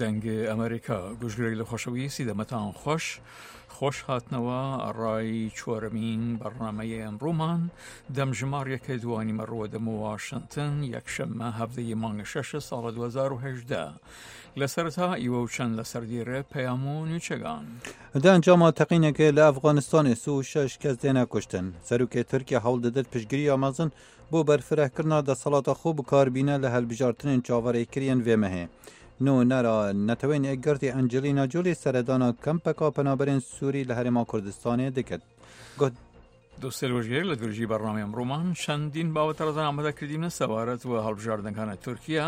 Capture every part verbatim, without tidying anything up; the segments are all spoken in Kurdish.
دەنگ ئەمریکا، گوشگرێک لە خۆشەویستی دەمەتان خۆش. خۆش هاتنەوە ڕای چوارەمین بەڕنامەیە ئەمڕۆمان. دەمژمار یەکە دوانی مەڕوە دەم واشنتن، یەکشەممە هەفتەی مانگە شەشە ساڵە دوهزار و هەژدە. لە سەرەتا ئیوە و چەند لە سەردیرە پەیام و نوچەگان. Di encama teqînekê li Efxanistanê sî û şeş kes têne kuştin. Serokê Tirkiye hewl didit piştgiriya mezin bo berfirehkirina desthilata xwe bi kar bîne li hilbijartinên çaverêkiriyên vê mehê. Nûnera Netewên Yekgirtî Angelina Jolie seredana kempeka penaberên Sûrî li Herêma Kurdistanê dikit. Got, Dostê li wêjgêr li dirûjî bernameyê emrûman çendîn babet rezan amade kirdîne sebaret we hilbijartinekane Tirkiye,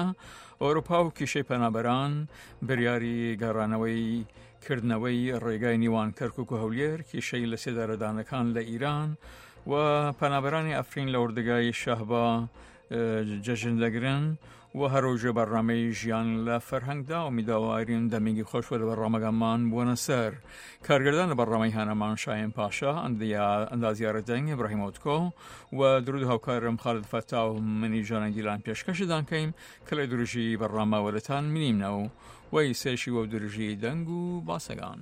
Ewropa û kîşey penaberan, biryarî geraneweyî kirdineweyî rêgay nîwan Kerkûk û Hewlêr, kîşey li sêdaredanekan li Îran û penaberanê Efrîn li ordigayê Şehba, e, cejin degirin û her rojê bernameyî jiyan li ferheng da û mîdawarîn demîgî xweş we li bernamegeman bûne ser. Kargirdan li bernameyi heneman Şahin Paşa, endiya-, endaziyara deng Îbrahîm Otko û dirûd hawkarim Xalid Feta û minî Canê Dîlan pêşkeşidan keyim, kilê dirûjî bername weletan minîmne û wey sêşî we dirûjî deng û basegan.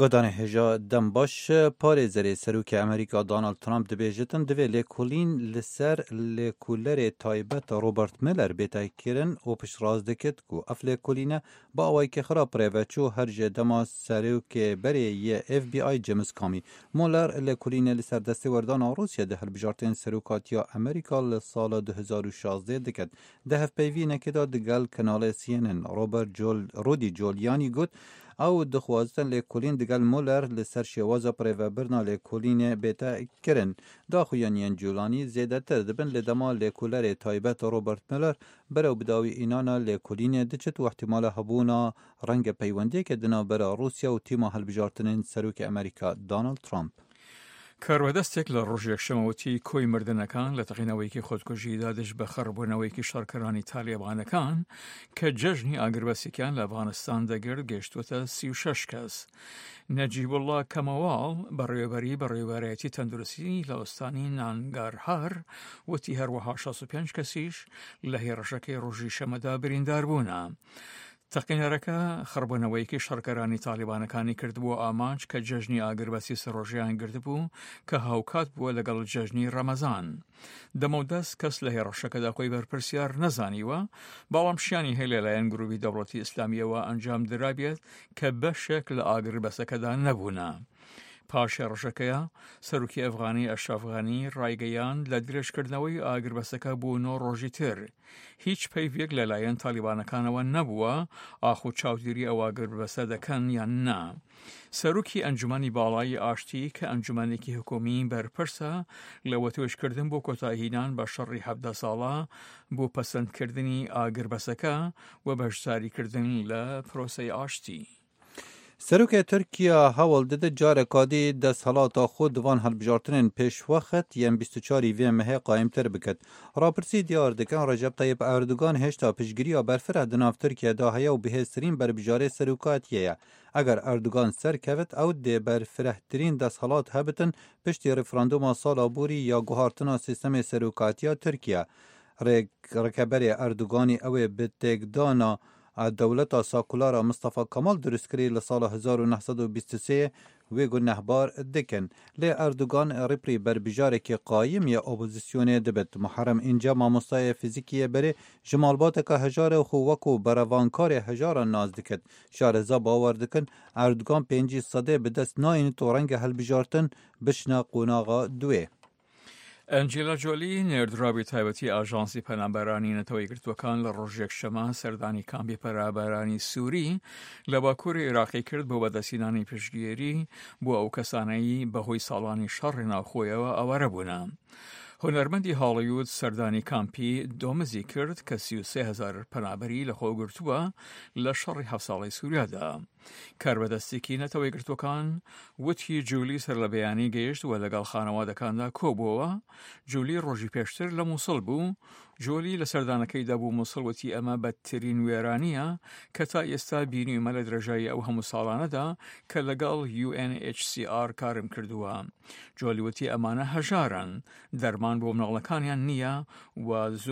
Godanê hêja dem baş, parêzerê Serokê Amerîka Donald Trump dibêjitin, divê lêkolîn li ser lêkolêrê taybet Robert Mueller bête kirin û piştrast dikit ku ev lêkolîne bi awayekî xirab rê ve çû her ji dema serokê berê yê F B I James Comey. Mueller lêkolînê li ser destêwerdana Rûsya di hilbijartên serokatiya Amerîka li sala du hezar û şazdeh diket. Di hevpeyvînekê de digel kanalê C N N, Robert Giul-, Rudy Giuliani got, ew dixwazin lêkolîn digel Mueller li ser şêwaza birêvebirina lêkolînê bête kirin. Daxuyaniyên Giuliani zêdetir dibin li dema lêkolerê taybet Robert Mueller berew bi dawî înana lêkolînê diçit û ihtimala hebûna renge peywendiyeke di navbera Rûsya û tîma hilbijartinên Serokê Amerîka Donald Trump. کاربەدەستێک لە ڕۆژی یەکشەممە وتی کۆی مردنەکان لە تەقینەوەیەکی خۆدکوژیدا دژ بە خڕبوونەوەیەکی شەڕکەرانی تالیبانەکان کە جەژنی ئاگربەستێکیان لە ئەفغانستان دەگرت گەیشتووەتە سی و شەش کەس. نەجیبوڵڵا کەمەواڵ، بەڕێوەبەری بەڕێوەبەرایەتی تەندروستی لە ئۆستانی نانگارهار، وتی هەروەها شەست و پێنج کەسیش لە هێڕشەکەی ڕۆژی شەمەدا بریندار بوونە. تەقینەرەکە خڕبوونەوەیەکی شەڕکەرانی تالیبانەکانی کردبووە ئامانج کە جەژنی ئاگربەستی سەرۆژیان گرتبوو کە هاوکات بووە لەگەڵ جەژنی ڕەمەزان. دەمەودەست کەس لە هێڕشەکەدا خۆی بەرپرسیار نەزانیوە، بەڵام شیانی هەیە لەلایەن گروپی دەوڵەتی ئیسلامیەوە ئەنجام درابێت کە بەشێک لە ئاگربەسەکەدا نەبوونە. پاش هێڕشەکەیە، سەرۆکی ئەفغانی ئەشرەف غەنی ڕایگەیاند لە درێژکردنەوەی ئاگربەسەکە بۆ نۆ ڕۆژی تر هیچ پەیڤێک لەلایەن تالیبانەکانەوە نەبووە ئاخۆ چاودێری ئەو ئاگربەسە دەکەن یان نا. سەرۆکی ئەنجومەنی باڵای ئاشتی کە ئەنجومەنێکی حکومی بەرپرسە لە وتوێژکردن بۆ کۆتایهینان بە شەڕی حەڤدە ساڵە بۆ پەسەندکردنی ئاگربەسەکە و بەشداریکردن لە پرۆسەی ئاشتی. Serokê Tirkiye hewl dide careka dî desthilata xwe di van hilbijartinên pêşwext yên bîst û çarî vê mehê qayîmtir biket. Rapirsî diyar dikin, Recep Tayyip Erdogan hêşta piştgiriya berfireh di nav Tirkiye de heye û bihêztirîn berbijêrê serokatiyê ye. Eger Erdogan serkevit, ew dê berfirehtirîn desthilat hebitin piştî referanduma sala borî ya guhartina sîstemê serokatiya Tirkiye. Rêk-, rêkeberê Erdoganî ew ê bi têkdana a dewleta sakulara Mistefa Kemal dirust kirî li sala hezar û neh sed û bîst û sê wê gunehbar dikin. Lê Erdogan rîprî berbijarekî qayîm ya opozisyonê dibit. Muharrem Înce mamostayê fîzîkî yê berê ji malbateke hejar e û xwe wekû berevankarê hejaran nas dikit. Şareza bawer dikin Erdogan pêncî sedê bi dest nayînit û renge hilbijartin bişne qonaxa duê. ئەنجیلا جۆلی، نێردراوی تایبەتی ئاژانسی پەنابەرانی نەتەوە یەکگرتووەکان، لە ڕۆژی یەکشەممە سەردانی کامپی پەنابەرانی سووری لە باکووری عێراقی کرد بۆ بەدەستهێنانی پشتگیری بۆ ئەو کەسانەی بەهۆی ساڵانی شەڕی ناوخۆیەوە ئاوارە بوونە. هونەرمەندی هاڵیوود سەردانی کامپی دۆمزی کرد کە سی و سێ هەزار پەنابەری لەخۆ گرتووە لە شەڕی هەفت ساڵەی سووریادا. کاربەدەستێکی نەتەوە یەکگرتووەکان وتی جولی سەر لە بەیانی گەیشت و لەگەڵ خانەوادەکاندا کۆبووەوە. جولی ڕۆژی پێشتر لە موسڵ بوو. جولی لە سەردانەکەیدا بوو موسڵ وتی ئەمە بەدترین وێرانیە کە تا ئێستا بینیومە لە درێژایی ئەو هەموو ساڵانەدا کە لەگەڵ UNHCR کارم کردووە. جولی وتی ئەمانە هەژارن، دەرمان بۆ مناڵەکانیان نییە و زۆر